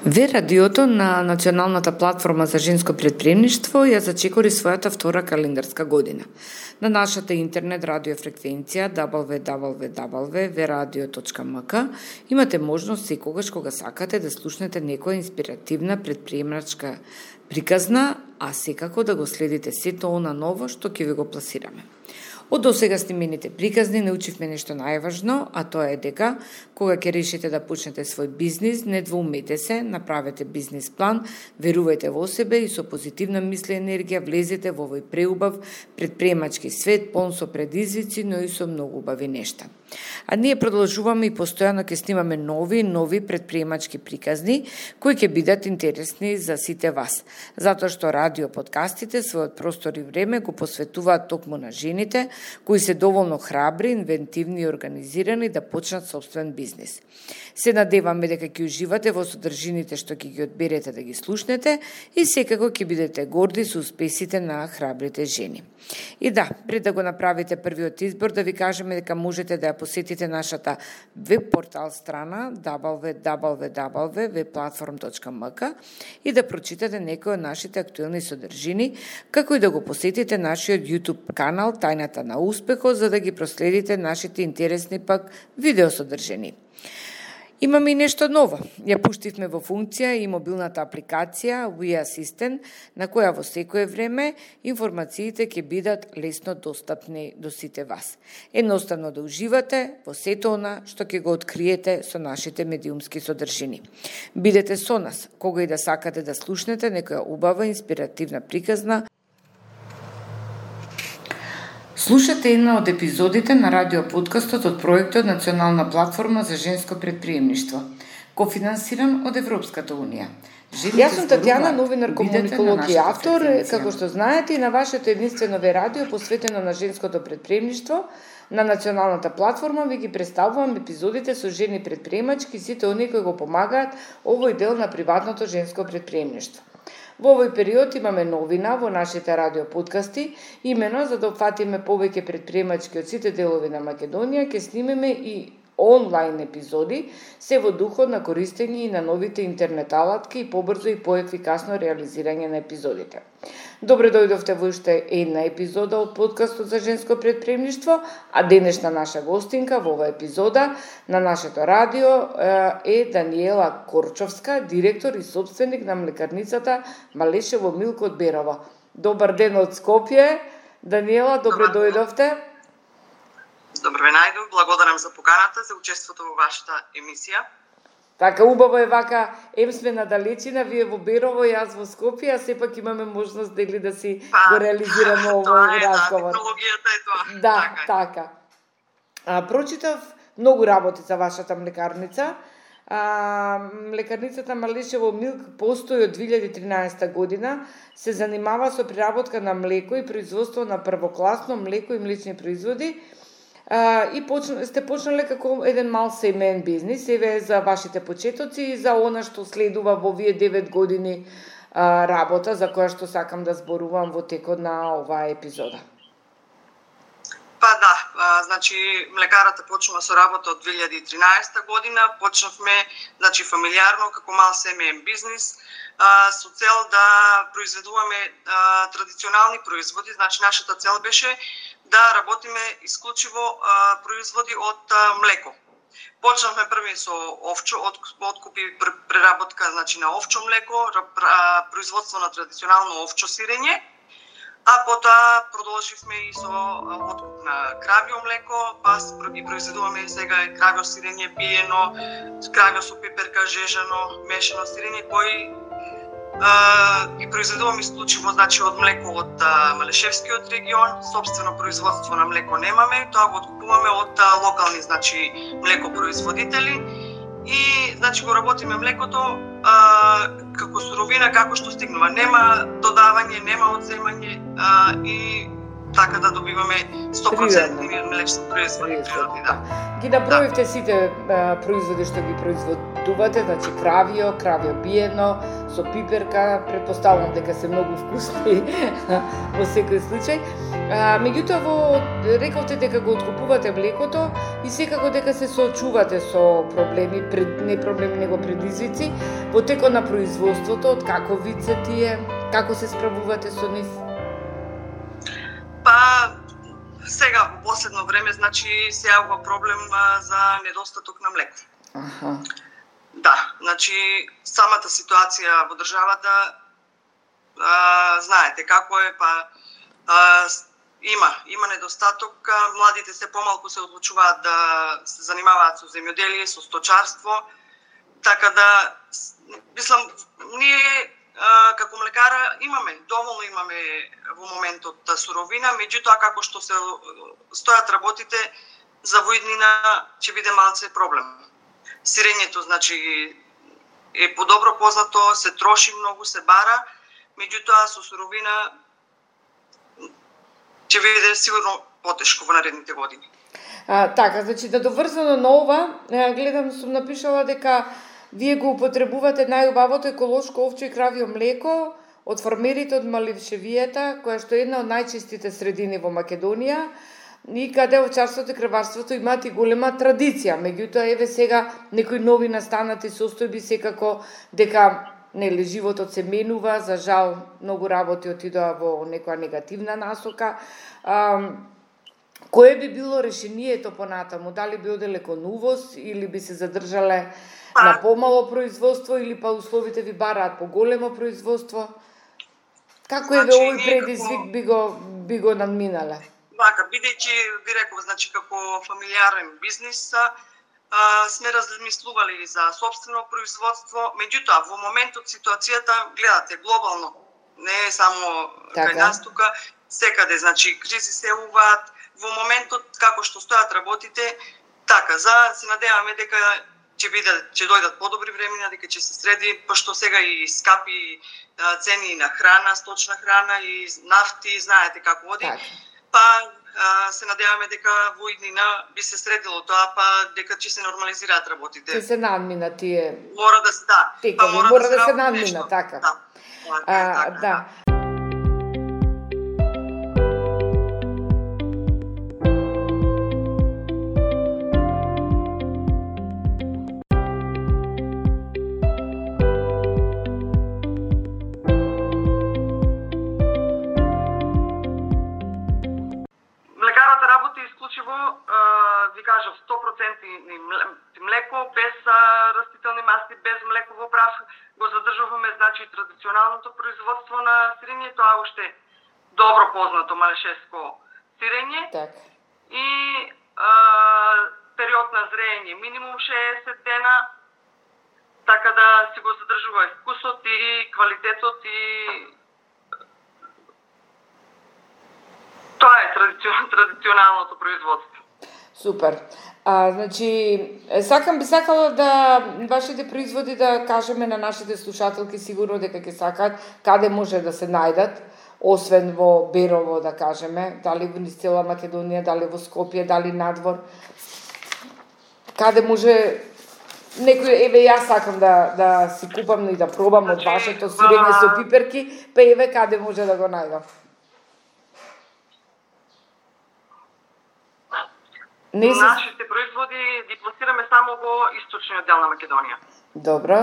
Ве радиото на Националната платформа за женско претприемништво ја зачекори својата втора календарска година. На нашата интернет радиофреквенција www.veradio.mk имате можност секогаш кога сакате да слушнете некоја инспиративна претприемачка приказна, а секако да го следите сето она ново што ќе ви го пласираме. Од досега снимените приказни научивме нешто најважно, а тоа е дека кога ќе решите да почнете свој бизнис, не двоумете се, направете бизнис план, верувајте во себе и со позитивна мисла и енергија влезете во овој преубав претприемачки свет, полн со предизвици, но и со многу убави нешта. А ние продолжуваме и постојано ќе снимаме нови претприемачки приказни кои ќе бидат интересни за сите вас, затоа што радио подкастите својот простор и време го посветуваат токму на жените кои се доволно храбри, инвентивни и организирани да почнат собствен бизнис. Се надеваме дека ќе уживате во содржините што ќе ги одберете да ги слушнете и секако ќе бидете горди со успесите на храбрите жени. И да, пред да го направите првиот избор, да ви кажеме дека можете да ја посетите нашата веб портал страна www.webplatform.mk и да прочитате некои од нашите актуелни содржини, како и да го посетите нашиот YouTube канал Тајната на успехот, за да ги проследите нашите интересни пак видеосодржини. Имаме и нешто ново. Ја пуштивме во функција и мобилната апликација We Assistant, на која во секое време информациите ќе бидат лесно достапни до сите вас. Едноставно да уживате во сето она што ќе го откриете со нашите медиумски содржини. Бидете со нас, кога и да сакате да слушнете некоја убава инспиративна приказна. Слушате една од епизодите на радиоподкастот од проектот Национална платформа за женско претприемништво, кофинансиран од Европската унија. Јас сум Татјана, новинар, комуниколог и автор, како што знаете, и на вашето единствено ве радио посветено на женското претприемништво, на Националната платформа ви ги представувам епизодите со жени претприемачки, сите оние кои го помагаат овој дел на приватното женско претприемништво. Во овој период имаме новина во нашите радиоподкасти, имено за да опфатиме повеќе претприемачки од сите делови на Македонија, ќе снимеме и онлайн епизоди, се во духот на користење и на новите интернет алатки и побрзо и поефикасно реализирање на епизодите. Добре дојдовте во уште една епизода од подкастот за женско претприемништво, а денешна наша гостинка во оваа епизода на нашето радио е Даниела Корчовска, директор и собственик на млекарницата Малешево Милк од Берово. Добар ден од Скопје. Даниела, добре дојдовте. Добро ве најдов, благодарам за поканата, за учеството во вашата емисија. Така, убаво е вака, сме на далечина, вие во Берово, јас во Скопје, а сепак имаме можност дели да си го реализираме овој разговор. Да, технологијата е тоа. Да, така. Прочитав многу работи за вашата млекарница. Млекарницата Малешево Милк постои од 2013 година, се занимава со преработка на млеко и производство на првокласно млеко и млечни производи. И сте почнале како еден мал семеен бизнис, еве за вашите почетоци и за она што следува во овие 9 години работа, за која што сакам да зборувам во текот на оваа епизода. Па да, значи млекарата почнува со работа од 2013 година, почнавме значи фамилиарно како мал семеен бизнис, со цел да произведуваме традиционални производи, значи нашата цел беше да работиме исклучиво производи од млеко. Почнавме први со овчо, откупи преработка значи на овчо млеко, производство на традиционално овчо сирење, а потоа продолживме и со откуп на кравјо млеко, па ги произведуваме сега кравјо сирење пиено, кравјо со пеперка, жежано, мешано сирење, кои ги произведуваме исклучиво значи од млеко од Малешевскиот регион, собствено производство на млеко немаме, тоа го откупуваме од локални значи млекопроизводители и значи го работиме млекото како суровина како што стигнува, нема додавање, нема одземање и така да добиваме 100% млечни производи природни, да. Ги наброивте сите производи што ги производувате, значи кравио биено, со пиперка, претпоставувам дека се многу вкусни во секој случај. Меѓутоа, рековте дека го откупувате млекото и секако дека се соочувате со проблеми, не проблеми, него предизвици, во текот на производството, од каков вид се тие, како се справувате со нив? Па, сега во последно време, значи, се јавува проблем за недостаток на млеко. Аха. Да, значи, самата ситуација во државата, знаете како е, па има недостаток, младите се помалку се одлучуваат да се занимаваат со земјоделие, со сточарство, така да, мислам, ние како млекара доволно имаме во моментот суровина, меѓутоа како што се стојат работите, за во иднина ќе биде малце проблем. Сирењето, значи, е подобро познато, се троши многу, се бара, меѓутоа со суровина ќе биде сигурно потешко во наредните години. Така, значи, да доврзано на ова, гледам, сум напишала дека вие го употребувате најубавото еколошко овче и кравио млеко од фармерите од Малившевијата, која што е една од најчистите средини во Македонија, и каде овчарството и крварството имаат и голема традиција. Меѓутоа, еве сега некои нови настанати состојби, секако дека животот се менува, за жал многу работи отидоа во некоја негативна насока. Кое би било решението понатаму? Дали би оделе кон увоз или би се задржале на помало производство или па условите ви бараат поголемо производство? Како еве овој предизвик би го надминале? Вака, бидејќи ви реков, значи како фамилиарен бизнис, сме размислували за собствено производство, меѓутоа во моментот ситуацијата, гледате, глобално, не е само кај нас тука, секаде, значи кризи се уваат, во моментот како што стојат работите, така, се надеваме дека ќе дојдат подобри времена, дека ќе се среди, пошто сега и скапи цени на храна, сточна храна и нафти, знаете како оди. Па се надеваме дека во иднина би се средило тоа, па дека ќе се нормализираат работите. Ќе се надмина тие. Мора да се, да. Мора да се надмина, така. Да. Ви кажав, 100% млеко, без растителни маси, без млеково прав, го задржуваме, значи, традиционалното производство на сирење, тоа уште добро познато малешеско сирење. И период на зрење минимум 60 дена, така да си го задржува и вкусот и квалитетот и тоа е традиционалното производство. Супер. Значи, би сакала да вашите производи да кажеме на нашите слушателки сигурно дека ќе сакаат каде може да се најдат, освен во Берово, да кажеме, дали во цела Македонија, дали во Скопје, дали надвор. Каде може некој, еве јас сакам да си купам и да пробам од вашето сирење со пиперки, па еве каде може да го најдам. Нашите производи ги пласираме само во источниот дел на Македонија. Добро.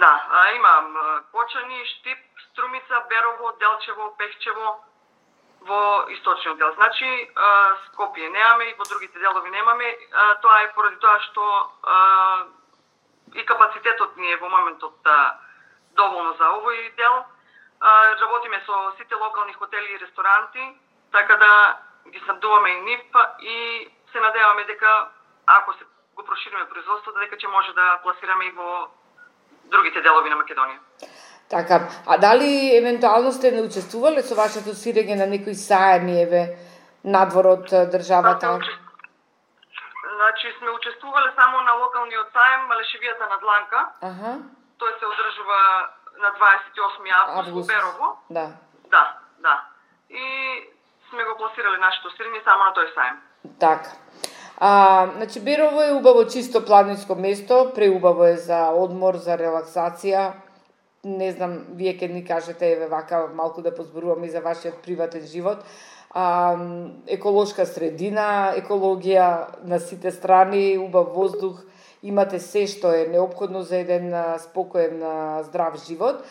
Да, имам Кочани, Штип, Струмица, Берово, Делчево, Пехчево во источниот дел. Значи, Скопје немаме и во другите делови немаме. Тоа е поради тоа што и капацитетот ни е во моментот доволно за овој дел. Работиме со сите локални хотели и ресторанти, така да ги снабдуваме и нив и се надеваме дека ако се го прошириме производството, дека ќе може да пласираме и во другите делови на Македонија. Така, а дали евентуално сте не учествувале со вашето сирење на некои саеми, еве, надвор од државата? Значи, сме учествувале само на локалниот саем Малешевијата на Дланка. Тој се одржува на 28 август во Берово. Да. Да. И сме го пласирали нашето сирење само на тој сајм. Така. Значи, Берово е убаво чисто планинско место, преубаво е за одмор, за релаксација. Не знам, вие ке ни кажете, еве вака малку да позборуваме и за вашиот приватен живот. Еколошка средина, екологија на сите страни, убав воздух, имате се што е неопходно за еден спокоен, здрав живот.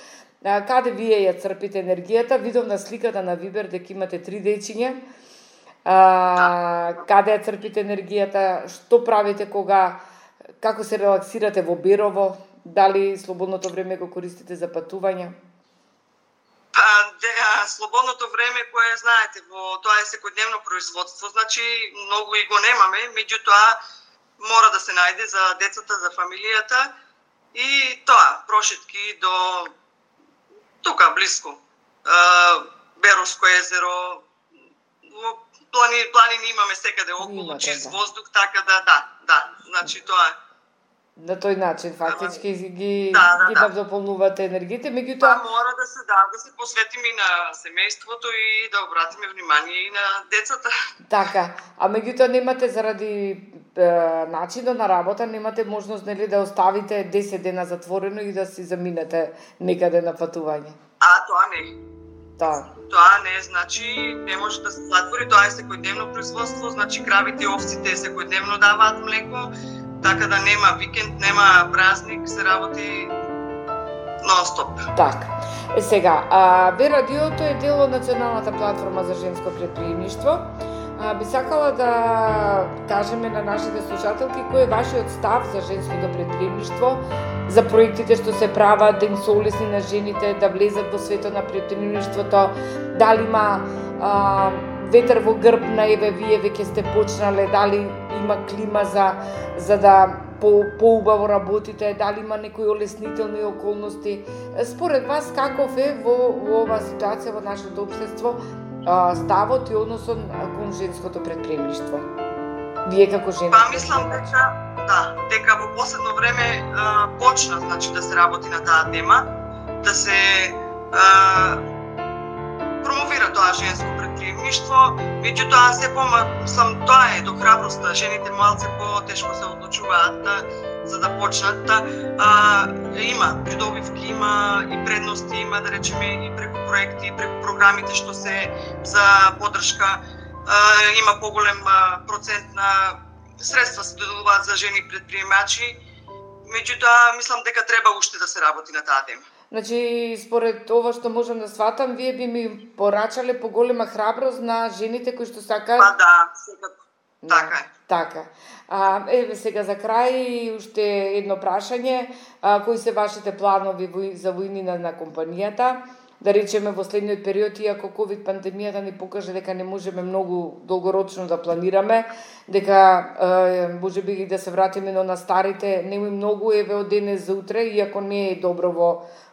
Каде вие ја црпите енергијата? Видов на сликата на Вибер дека имате 3 дечиња. Каде ја црпите енергијата? Што правите како се релаксирате во Берово? Дали слободното време го користите за патување? Слободното време кое знаете, тоа е секојдневно производство, значи многу и го немаме, меѓутоа мора да се најде за децата, за фамилијата и тоа, прошетки до тука блиско. Беровско езеро, планини имаме секаде околу, чист воздух, така да, значи тоа е. На тој начин фактички ги надополнувате енергиите, меѓутоа мора да се посветиме и на семејството и да обратиме внимание и на децата. Така, а меѓутоа немате заради начинот на работа, немате можност нели да оставите 10 дена затворено и да си заминете некаде на патување. Тоа не. Тоа не, значи не може да се затвори, тоа е секојдневно производство, значи кравите и овците секојдневно даваат млеко. Така да нема викенд, нема празник, се работи нон-стоп. Така. Сега, Б-радиото е дел од Националната платформа за женско предприемништво. Би сакала да кажеме на нашите слушателки кој е вашиот став за женското предприемништво, за проектите што се прават, да им се олесни на жените да влезат во светот на предприемништвото, дали има ветер во грб на еве вие веќе сте почнале, дали има клима за да поубаво работите, дали има некои олеснителни околности. Според вас каков е во оваа ситуација во нашето општество ставот и односот кон женското предприемништво? Вие како жена? Мислам дека во последно време почна значи да се работи на таа тема, да се промовира тоа женско предприемништво, меѓутоа се помислам тоа е до храброст, жените малце потешко се одлучуваат за да почнат. Има придобивки, има и предности, има да речеме и преку проекти, и преку програмите што се за поддршка, има поголем процент на средства се доделуваат за жени предприемачи, меѓутоа мислам дека треба уште да се работи на таа тема. Значи, според ова што можам да сватам, вие би ми порачале поголема храброст на жените кои што сакаат... секако. Така е. Така. Еве сега за крај уште едно прашање. Кои се вашите планови за војнина на компанијата? Да речеме во следниот период, иако ковид пандемијата ни покаже дека не можеме многу долгорочно да планираме, дека можеби и да се вратиме на старите, нема многу еве од денес за утре, иако не е добро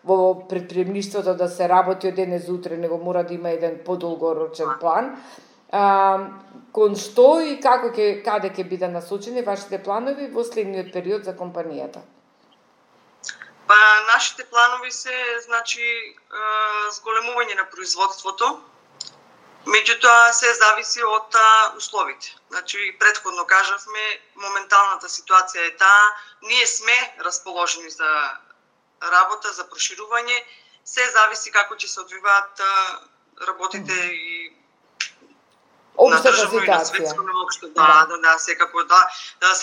во предприемништвото да се работи од денес за утре, него мора да има еден подолгорочен план. Кон што и каде ќе биде насочени вашите планови во следниот период за компанијата? Нашите планови се, значи, зголемување на производството, меѓутоа се зависи од условите. Значи, претходно кажавме, моменталната ситуација е таа, ние сме расположени за работа, за проширување, се зависи како ќе се одвиваат работите и на државно и на светско ниво. Секако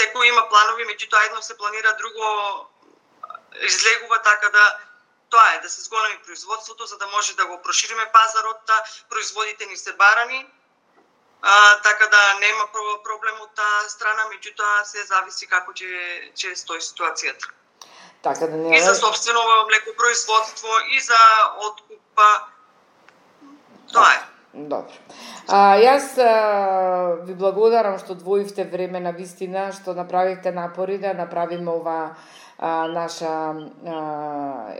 секој има планови, меѓутоа едно се планира, друго излегува, така да тоа е да се зголеми производството за да може да го прошириме пазарот, производите ни се барани, така да нема проблем од таа страна, меѓутоа се зависи како ќе стои ситуацијата. Така да нема... И за собствено млекопроизводство, и за откуп, тоа е. Добро. Јас ви благодарам што двоивте време на вистина, што направивте напори да направиме ова наша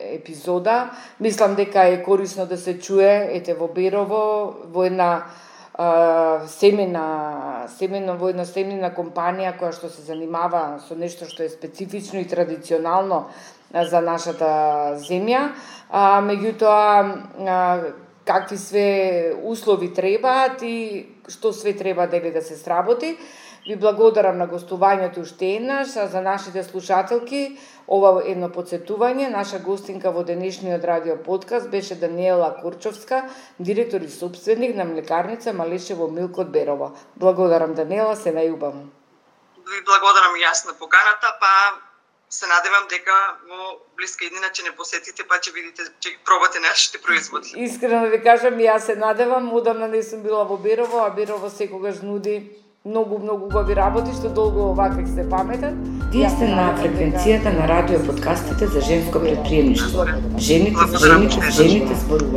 епизода. Мислам дека е корисно да се чуе, ете во Берово, во една семена компанија која што се занимава со нешто што е специфично и традиционално за нашата земја. Меѓутоа, какви све услови требаат и што све треба да се сработи. Ви благодарам на гостувањето уште еднаш, а за нашите слушателки ова едно подсетување. Наша гостинка во денешниот радио подкаст беше Даниела Курчовска, директор и сопственик на млекарница Малешево Милк од Берово. Благодарам, Даниела, се најубаво. Ви благодарам и јас на поканата, па се надевам дека во блиска иднина ќе не посетите, па ќе видите, ќе пробате нашите производи. Искрено ви кажам, јас се надевам, одамна не сум била во Берово, а Берово секогаш нуди многу убави работи, што долго вака се паметат. Вие сте на фреквенцијата на радио подкастите за женско предприемништво. Жените зборуваат.